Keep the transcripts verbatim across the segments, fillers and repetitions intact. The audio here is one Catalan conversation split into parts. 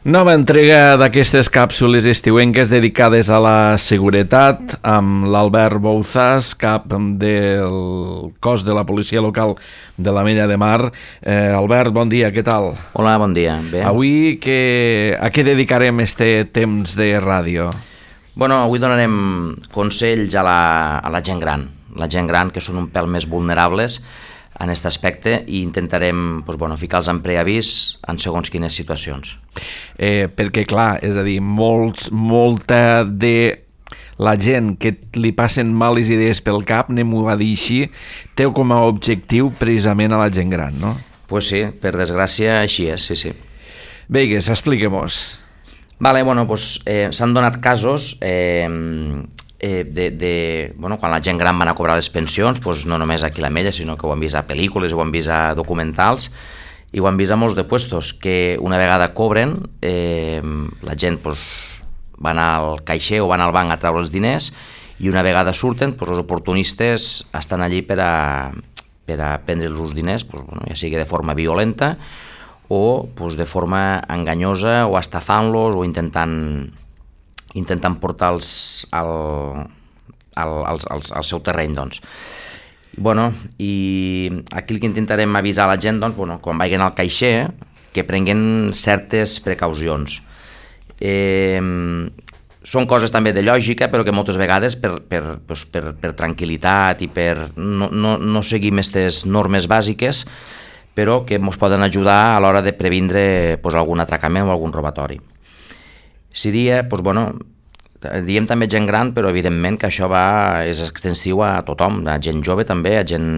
Nova entrega d'aquestes càpsules estiuenques dedicades a la seguretat amb l'Albert Bouzas, cap del cos de la policia local de l'Ametlla de Mar. Eh, Albert, bon dia, què tal? Hola, bon dia. Bé. Avui que, a què dedicarem este temps de ràdio? Bueno, avui donarem consells a la, a la gent gran, la gent gran que són un pèl més vulnerables en aquest aspecte, i intentarem doncs, bueno, ficar-los en preavís en segons quines situacions. Eh, perquè, clar, és a dir, molts, molta de la gent que li passen males idees pel cap, anem-ho a dir així, té com a objectiu precisament a la gent gran, no? Pues sí, per desgràcia així és, sí, sí. Veigues, expliquem-nos. Vale, bueno, pues, eh, s'han donat casos eh, eh, de, de, bueno, quan la gent gran van a cobrar les pensions, pues, no només aquí a l'Ametlla, sinó que ho han vist a pel·lícules, ho han vist a documentals, i ho han vist a molts de puestos, que una vegada cobren, eh, la gent pues, van al caixer o van al banc a treure els diners, i una vegada surten, pues, els oportunistes estan allí per a, per a prendre els diners, pues, bueno, ja sigui de forma violenta o pues, de forma enganyosa, o estafant-los, o intentant, intentant portar-los al, al, al, al, al seu terreny, doncs. Bueno, i aquí el que intentarem avisar a la gent, doncs, bueno, quan vagin al caixer, que prenguen certes precaucions. Eh, són coses també de lògica, però que moltes vegades per, per, doncs, per, per tranquil·litat i per no, no, no seguir aquestes normes bàsiques, però que ens poden ajudar a l'hora de previndre doncs, algun atracament o algun robatori. Seria, doncs, bueno, diem també gent gran, però evidentment que això va, és extensiu a tothom, a gent jove també, a gent,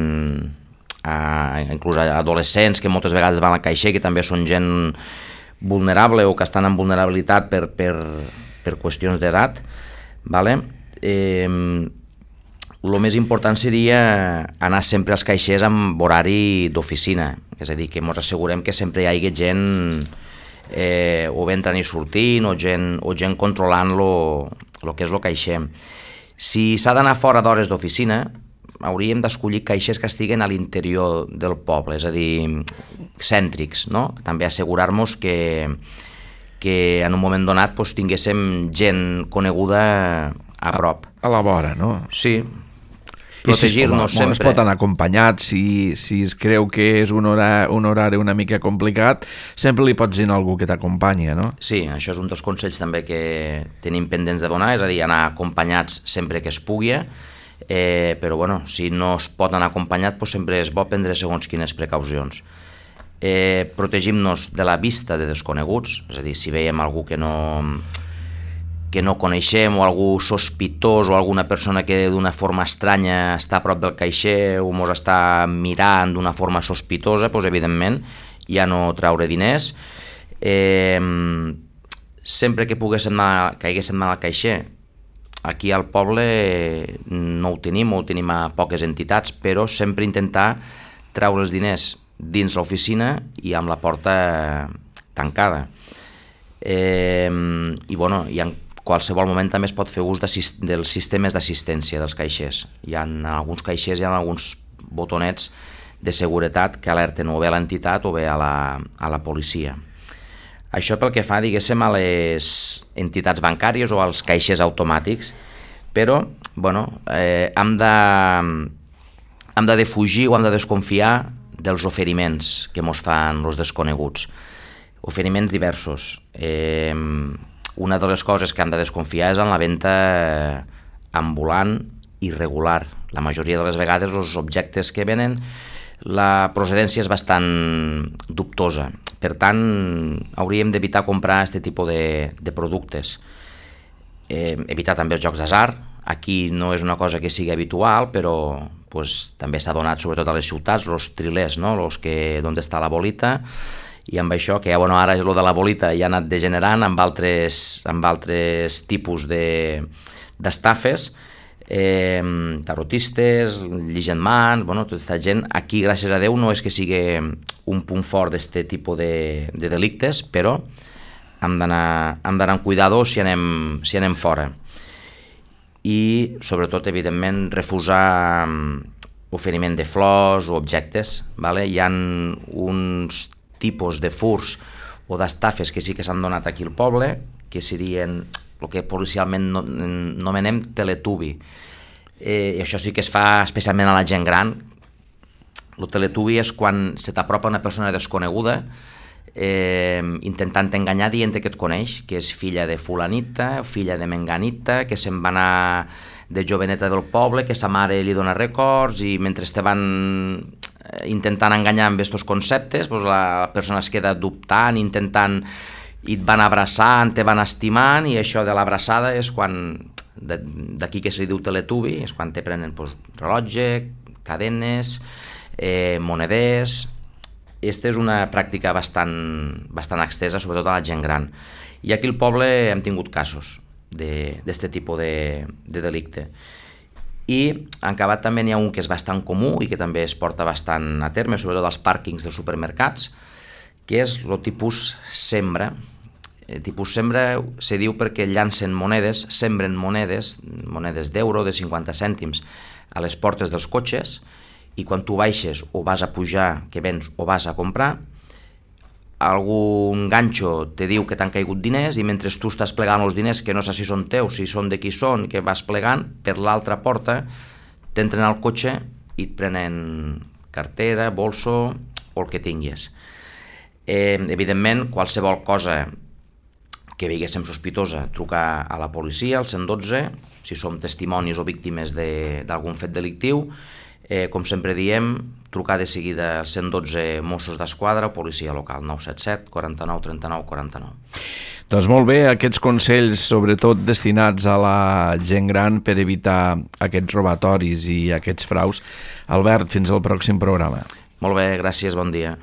a, inclús a adolescents que moltes vegades van al caixer, que també són gent vulnerable o que estan en vulnerabilitat per, per, per qüestions d'edat, vale? Eh, el més important seria anar sempre als caixers amb horari d'oficina, és a dir, que ens assegurem que sempre hi hagi gent eh, o bé entrant i sortint, o gent, o gent controlant el que és el caixer. Si s'ha d'anar fora d'hores d'oficina, hauríem d'escollir caixers que estiguen a l'interior del poble, és a dir, cèntrics, no? També assegurar-nos que, que en un moment donat doncs, tinguéssim gent coneguda a prop. A la vora, no? Sí. Protegir-nos si sempre. Es pot anar acompanyat, si, si es creu que és un horari, un horari una mica complicat, sempre li pots dir a algú que t'acompanya, no? Sí, això és un dels consells també que tenim pendents de donar, és a dir, anar acompanyats sempre que es pugui, eh, però bueno, si no es pot anar acompanyat, doncs sempre és bo prendre segons quines precaucions. Eh, protegim-nos de la vista de desconeguts, és a dir, si veiem algú que no... que no coneixem, o algú sospitós, o alguna persona que d'una forma estranya està a prop del caixer o ens està mirant d'una forma sospitosa, doncs evidentment ja no traure diners. Eh, sempre que poguéssim anar, que haguéssim d'anar al caixer, aquí al poble no ho tenim, o ho tenim a poques entitats, però sempre intentar treure els diners dins l'oficina i amb la porta tancada. Eh, i bueno, i en qualsevol moment també es pot fer ús dels sistemes d'assistència dels caixers. Hi ha, en alguns caixers hi ha alguns botonets de seguretat que alerten o bé a l'entitat o bé a la, a la policia. Això pel que fa, diguéssim, a les entitats bancàries o als caixers automàtics, però bueno, eh, hem de, hem de defugir o hem de desconfiar dels oferiments que ens fan els desconeguts. Oferiments diversos. Eh, una de les coses que hem de desconfiar és en la venda ambulant irregular. La majoria de les vegades els objectes que venen, la procedència és bastant dubtosa. Per tant, hauríem d'evitar comprar aquest tipus de, de productes. Eh, evitar també els jocs d'atzar. Aquí no és una cosa que sigui habitual, però pues, també s'ha donat sobretot a les ciutats, els trilers, no? Los que, on està la bolita, i amb això, que ja, bueno, ara el de la bolita ja ha anat degenerant amb altres, amb altres tipus de, d'estafes, eh, tarotistes, lligendmans, bueno, tota aquesta gent. Aquí, gràcies a Déu, no és que sigui un punt fort d'aquest tipus de, de delictes, però hem d'anar, hem d'anar amb cuidado si anem, si anem fora. I, sobretot, evidentment, refusar oferiment de flors o objectes. Vale? Hi ha uns tipus de furs o d'estafes que sí que s'han donat aquí al poble, que serien el que policialment nomenem teletubi. Eh, I això sí que es fa especialment a la gent gran. El teletubi és quan se t'apropa una persona desconeguda eh, intentant enganyar dient que et coneix, que és filla de fulanita, filla de menganita, que se'n va anar de joveneta del poble, que sa mare li dona records, i mentre te van intentant enganyar amb aquests conceptes, doncs la persona es queda dubtant, intentant, i et van abraçant, te van estimant, i això de l'abraçada és quan, d'aquí que se li diu teletubi, és quan te prenen doncs, rellotge, cadenes, eh, moneders. Aquesta és una pràctica bastant, bastant extesa, sobretot a la gent gran. I aquí al poble hem tingut casos d'aquest tipus de, de delicte. I en acabat també n'hi ha un que és bastant comú i que també es porta bastant a terme, sobretot als pàrquings dels supermercats, que és el tipus sembra. El tipus sembra se diu perquè llancen monedes, sembren monedes, monedes d'euro, de cinquanta cèntims, a les portes dels cotxes, i quan tu baixes o vas a pujar, que vens o vas a comprar, algun ganxo te diu que t'han caigut diners, i mentre tu estàs plegant els diners, que no sé si són teus, si són de qui són, que vas plegant, per l'altra porta t'entren al cotxe i et prenen cartera, bolso o el que tinguis. Eh, evidentment, qualsevol cosa que veiéssim sospitosa, trucar a la policia, al cent dotze, si som testimonis o víctimes d'algun fet delictiu. Eh, com sempre diem, trucar de seguida al cent dotze Mossos d'Esquadra o policia local, nou set set, quaranta-nou, trenta-nou, quaranta-nou. Doncs molt bé, aquests consells, sobretot destinats a la gent gran per evitar aquests robatoris i aquests fraus. Albert, fins al pròxim programa. Molt bé, gràcies, bon dia.